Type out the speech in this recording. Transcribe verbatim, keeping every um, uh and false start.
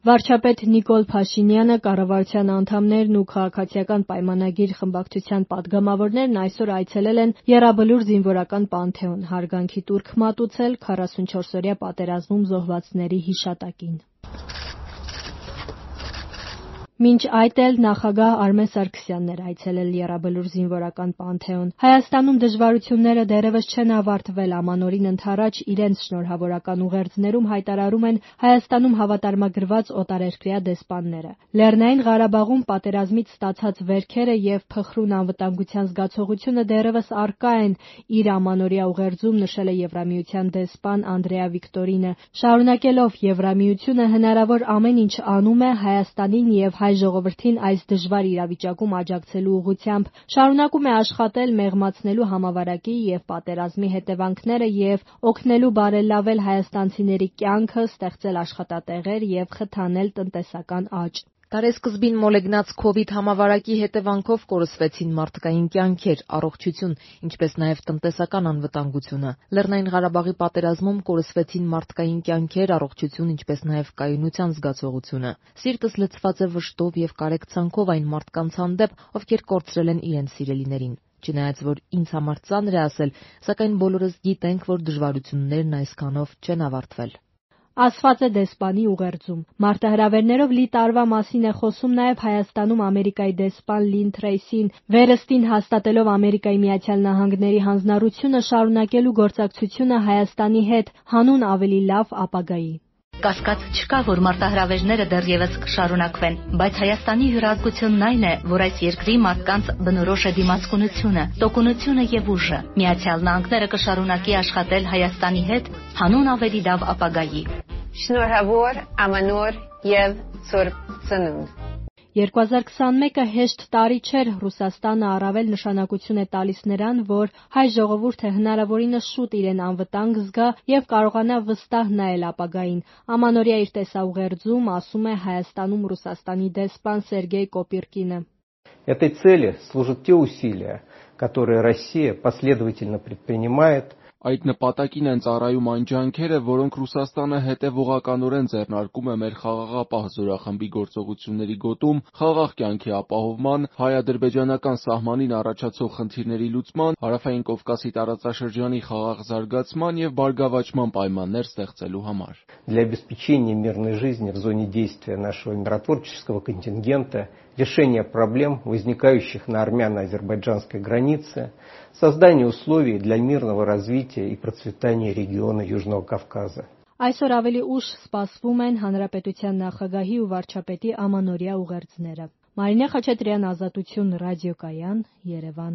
Վարչապետ Նիկոլ Փաշինյանը, կառավարության անդամներն ու քաղաքացիական պայմանագիր խմբակցության պատգամավորներն այսօր այցելել են Եռաբլուր զինվորական պանթեոն, հարգանքի տուրք մատուցել քառասունչորսօրյա պատերազմում զոհվածների հիշատակին։ Մինչ այդ էլ նախագահ Արմեն Սարգսյանն էր այցելել Եռաբլուր զինվորական պանթեոն։ Հայաստանում դժվարությունները դեռևս չեն ավարտվել, ամանորին ընդառաջ իրենց շնորհավորական ուղերձներում հայտարարում են Հայաստանում հավատարմագրված օտարերկրյա դեսպանները։ Լեռնային Ղարաբաղում պատերազմից ստացած վերքերը եւ փխրուն անվտանգության զգացողությունը դեռևս առկա են, իր ամանորյա ուղերձում նշել է Եվրամիության դեսպան Անդրեա Վիկտորինը, շարունակելով Եվրամիությունը հնարավոր ամեն ինչ անում է Հայաստանին եւ հայ ժողովրդին այս դժվար իրավիճակում աջակցելու ուղղությամբ, շարունակում է աշխատել մեղմացնելու համավարակի եւ պատերազմի հետևանքները եւ օգնելու բարելավել հայաստանցիների կյանքը, ստեղծել աշխատատեղեր եւ խթանել տնտեսական աճ։ Տարեսկզբին մոլեգնած քովիդ համավարակի հետևանքով կորսվեցին մարդկային կյանքեր, առողջություն, ինչպես նաև տնտեսական անվտանգությունը։ Լեռնային Ղարաբաղի պատերազմում կորսվեցին մարդկային կյանքեր, առողջություն, ինչպես նաև կայունության զգացողությունը։ Սիրտս լցված է վշտով եւ կարեկցանքով այն մարդկանց հանդեպ, ովքեր կորցրել են իրենց սիրելիներին։ Չնայած որ ինձ համար ծանր է ասել, սակայն բոլորս գիտենք, որ դժվարություններն այսքանով չեն ավարտվել։ Ասված է դեսպանի ուղերձում։ Մարտահրավերներով լի տարվա մասին է խոսում նաև Հայաստանում Ամերիկայի դեսպան Լին Թրեյսին, վերստին հաստատելով Ամերիկայի Միացյալ Նահանգների հանձնառությունը շարունակելու գործակցությունը Հայաստանի հետ հանուն ավելի լավ ապագայի։ Կասկած չկա, որ մարտահրավերները դեռևս կշարունակվեն, բայց Հայաստանի հյուրահատկությունն այն է, որ այս երկրի մարդկանց բնորոշ է դիմացկունությունը, տոկունությունը եւ ուժը։ Միացյալ Նահանգները կշարունակի աշխատել Հայաստանի հետ հանուն ավելի լավ ապագայի։ Շնորհավոր, ամանոր եւ սուրբ ծնունդ։ երկու հազար քսանմեկը հեշտ տարի չէր, Ռուսաստանը առավել նշանակություն է տալիս նրան, որ հայ ժողովուրդը հնարավորինս շուտ իրեն անվտանգ զգա եւ կարողանա վստահ նայել ապագային։ Ամանորյա իր տեսաուղերձում ասում է Հայաստանում Ռուսաստանի դեսպան Սերգեյ Կոպիրկինը։ Этой цели служат те усилия, которые Россия последовательно предпринимает. Այդ նպատակին են ծառայում այն ջանքերը, որոնք Ռուսաստանը հետևողականորեն ձեռնարկում է մեր խաղաղապահ զորախմբի գործողությունների գոտում, խաղաղ կյանքի ապահովման, հայ-ադրբեջանական սահմանին առաջացող խնդիրների լուծման, Հարավային Կովկասի տարածաշրջանի խաղաղ զարգացման եւ բարգավաճման պայմաններ ստեղծելու համար։ Для обеспечения мирной жизни в зоне действия нашего миротворческого контингента, решения проблем, возникающих на армяно-азербайджанской границе, создание условий для мирного развития и процветания региона Южного Кавказа. Այսօր ավելի ուշ սպասվում են Հանրապետության նախագահի ու վարչապետի ամանորյա ուղերձները։ Մարինե Խաչատրյան, Ազատություն, ռադիոկայան, Երևան։